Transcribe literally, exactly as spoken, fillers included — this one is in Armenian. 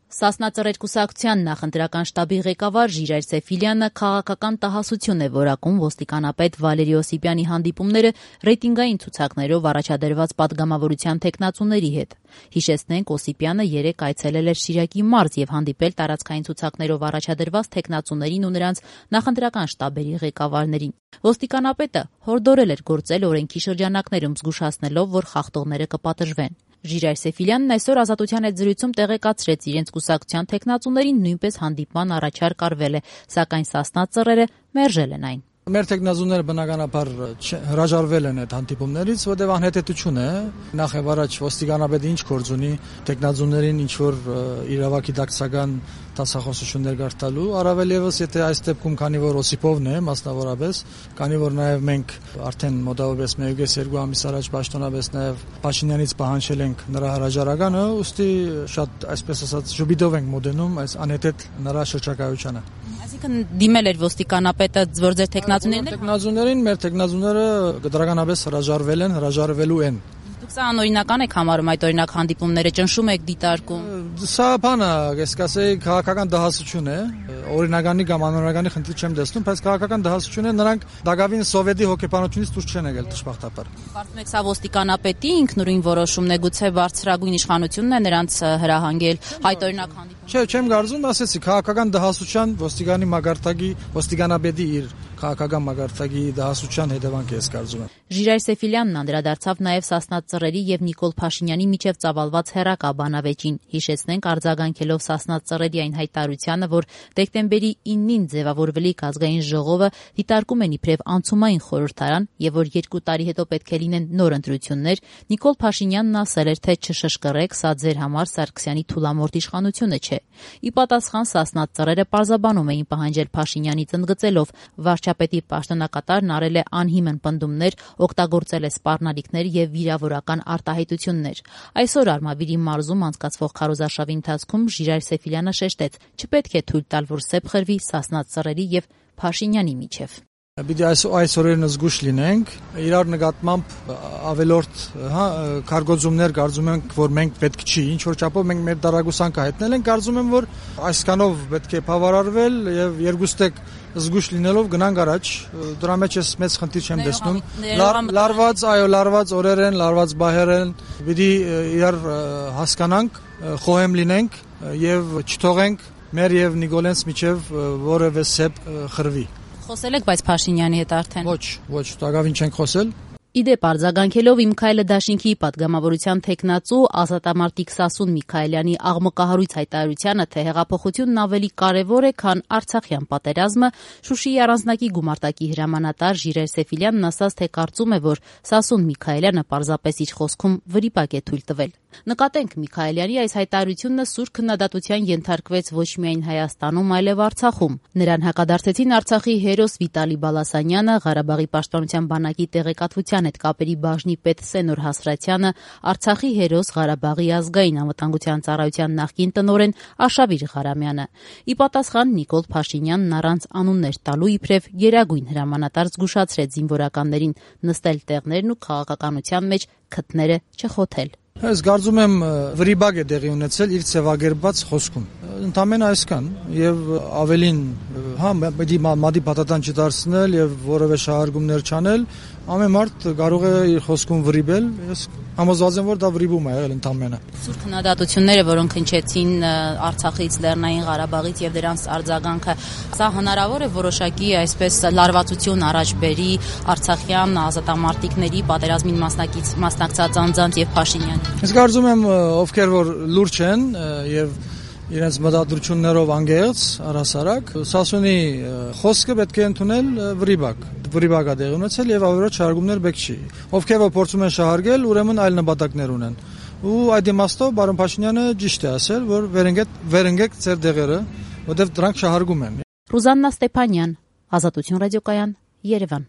Սասնա ծռեր կուսակցության նախընտրական շտաբի ղեկավար Ժիրայր Սեֆիլյանը քաղաքական տհասություն է որակում ոստիկանապետ Վալերի Օսիպյանի հանդիպումները ռեյտինգային ցուցակներով առաջադրված պատգամավորության թեկնածուների հետ։ Հիշեցնենք, Օսիպյանը երեկ այցելել էր Շիրակի մարզ եւ հանդիպել տարածքային ցուցակներով առաջադրված թեկնածուներին ու նրանց նախընտրական շտաբերի ղեկավարներին։ Ոստիկանապետը հորդորել էր գործել օրենքի շրջանակներում, զգուշացնելով, որ խախտողները կպատժվեն։ Ժիրայր Սեֆիլյանն այսօր Ազատության հետ զրույցում տեղեկացրեց, իրենց կուսակցության թեկնածուներին նույնպես հանդիպման առաջարկ արվել է, սակայն Սասնա ծռերը մերժել են այն։ Մեր տեխնազուները բնականաբար հրաժարվել են այդ հանդիպումներից, որտեղ անհետեթություն է, նախ եւ առաջ ոստիկանապետը ինչ գործ ունի տեխնազուներին ինչ որ իրավակի դակցական տասախոսություններ գարտալու, առավել եւս եթե այս դեպքում քանի որ Օսիպովն է մասնավորապես, քանի որ նաեւ մենք արդեն մոտավորապես մեկ երկու ամիս առաջ պաշտոնապես նաեւ Փաշինյանից պահանջել ենք նրա հրաժարականը, ուստի շատ այսպես ասած ժուբիդով ենք մոտենում այս անհետեթ նրա շրջակայությանը։ Այսինքն դիմել էր ոստիկանապետը, որ ձեր տեխնազուներն տեխնազուներին, մեր տեխնազուները դրականապես հրաժարվել են, հրաժարվելու են։ Դուք սա անօրինական եք համարում այդ օրինակ հանդիպումները, ճնշում եք դիտարկում։ Սա բանը, ես կասեի, քաղաքական դահասություն է, օրինականի կամ անօրինականի խնդիր չեմ տեսնում, բայց քաղաքական դահասություն է, նրանք դակավին սովետի հոգեբանությունից դուրս չեն եկել դժբախտաբար։ Կարծում եք սա ոստիկանապետի ինքնուրույն որոշումն է, գուցե բարձրագույն իշխանությունն է նրանց հրահանգել այդ օրինակ հանդիպում։ Չէ, չեմ կարծում, ասեցի, քաղաքական դահասության ոստիկանի մագարտակի, ոստիկանապետի իր քաղաքական մագարտակի դահասության հետևանք է, ես կարծում եմ։ Ժիրայր Սեֆիլյանն անդրադարձավ նաև Սասնա ծռերի եւ Նիկոլ Փաշինյանի միջև ծավալված հեռակա բանավեճին։ Հիշեցնենք, արձագանքելով Սասնա ծռերի այն հայտարարությանը, որ դեկտեմբերի իննին ձևավորվելիք ազգային ժողովը դիտարկում են իբրև անցումային խորհրդարան եւ որ երկու տարի հետո պետք է լինեն նոր ընտրություններ, Նիկոլ Փաշինյանն ասել էր, թե չշշկռեք, սա ձեր համար Սարգսյանի թուլամորթ իշխանությունը չէ։ Ի պատասխան Սասնա ծռերը պարզաբանում էին պահանջել Փաշինյանից ընդգծելով, վարչապետի պաշտոնակատարն արել է անհիմն պնդումներ, օգտագործել է սպառնալիքներ եւ վիրավորական արտահայտություններ։ Այսօր Արմավիրի մարզում անցկացվող քարոզարշավի ընթացքում Ժիրայր Սեֆիլյանը շեշտեց, չպետք է թույլ տալ, որ սեպ խրվի Սասնա ծռերի եւ Փաշինյանի միջև։ Պիտի այս այս օրերն զգուշ լինենք, իրար նկատմամբ ավելորդ, հա, կարգոծումներ կարծում ենք, որ մենք պետք չի, ինչ որ չափով մենք մեր դարագուսանքը հայտնել ենք, կարծում եմ, որ այսքանով պետք է բավարարվել եւ երկուստեք զգուշ լինելով գնանք առաջ, դրա մեջ ես մեծ խնդիր չեմ տեսնում։ Լարված, այո, լարված օրեր են, լարված բահեր են, պիտի իրար հասկանանք, խոհեմ լինենք եւ չթողենք մեր եւ Նիկոլենց միջև որևէ սեպ խրվի։ Խոսել եք, բայց Փաշինյանի հետ արդեն։ Ոչ, ոչ, տակավին չենք խոսել։ Իդեպ արձագանքելով Իմ քայլը դաշինքի պատգամավորության թեկնածու ազատամարտիկ Սասուն Միքայելյանի աղմկահարույց հայտարարությանը, թե հեղափոխությունն ավելի կարևոր է, քան Արցախյան պատերազմը, Շուշիի առանձնակի գումարտակի հրամանատար Ժիրայր Սեֆիլյանն ասաց, թե կարծում է, որ Սասուն Միքայելյանը պարզապես իր խոսքում վրիպակ է թույլ տվել։ Նկատենք, Միքայելյանի այս հայտարարությունը սուր քննադատության ենթարկվեց ոչ միայն Հայաստանում, այլև Արցախում։ Նրան հակադարձեցին Արցախի հերոս Վիտալի Բալասանյանը, Ղարաբաղի պաշտպանության բանակի տեղեկատվության հետ կապերի բաժնի պետ Սենոր Հասրատյանը, Արցախի հերոս Ղարաբաղի ազգային անվտանգության ծառայության նախկին տնօրեն Աշավիր Ղարամյանը։ Ի պատասխան Նիկոլ Փաշինյանն առանց անուններ տալու իբրև գերագույն հրամանատար զգուշացրեց զինվորականներին նստել տեղներն ու քաղաքականության մեջ քթները չխոթել։ Ես կարծում եմ վրիպակ է տեղի ունեցել իր ցեվագերբած խոսքում։ Ընդամենը այսքան եւ ավելին, հա, պետք է մադի պատատան չդարձնել եւ որևէ շահարկումներ չանել, ամեն մարդ կարող է իր խոսքում վրիպել, ես համոզված եմ, որ դա վրիպում է եղել ընդամենը։ Սուր քննադատությունները, որոնք հնչեցին Արցախից, Լեռնային Ղարաբաղից եւ դրանց արձագանքը, սա հնարավոր է որոշակի այսպես լարվածություն առաջ բերի արցախյան ազատամարտիկների պատերազմին մասնակից մասնակցած անձանց եւ Փաշինյանի։ Ես կարծում եմ, ովքեր որ լուրջ են եւ իրենց մտադրություններով անգեղծ առհասարակ, Սասունի խոսքը պետք է ընդունել վրիպակ։ Վրիպակա դեղ ունեցել եւ ավելորդ շահարկումներ պետք չի։ Ովքեր որ փորձում են շահարկել, ուրեմն այլ նպատակներ ունեն։ Ու այդ իմաստով պարոն Փաշինյանը ճիշտ է ասել, որ վերընկեք վերընկեք ձեր դեղերը, որտեղ դրանք շահարկում են։ Ռուզաննա Ստեփանյան, Ազատություն ռադիոկայան, Երևան։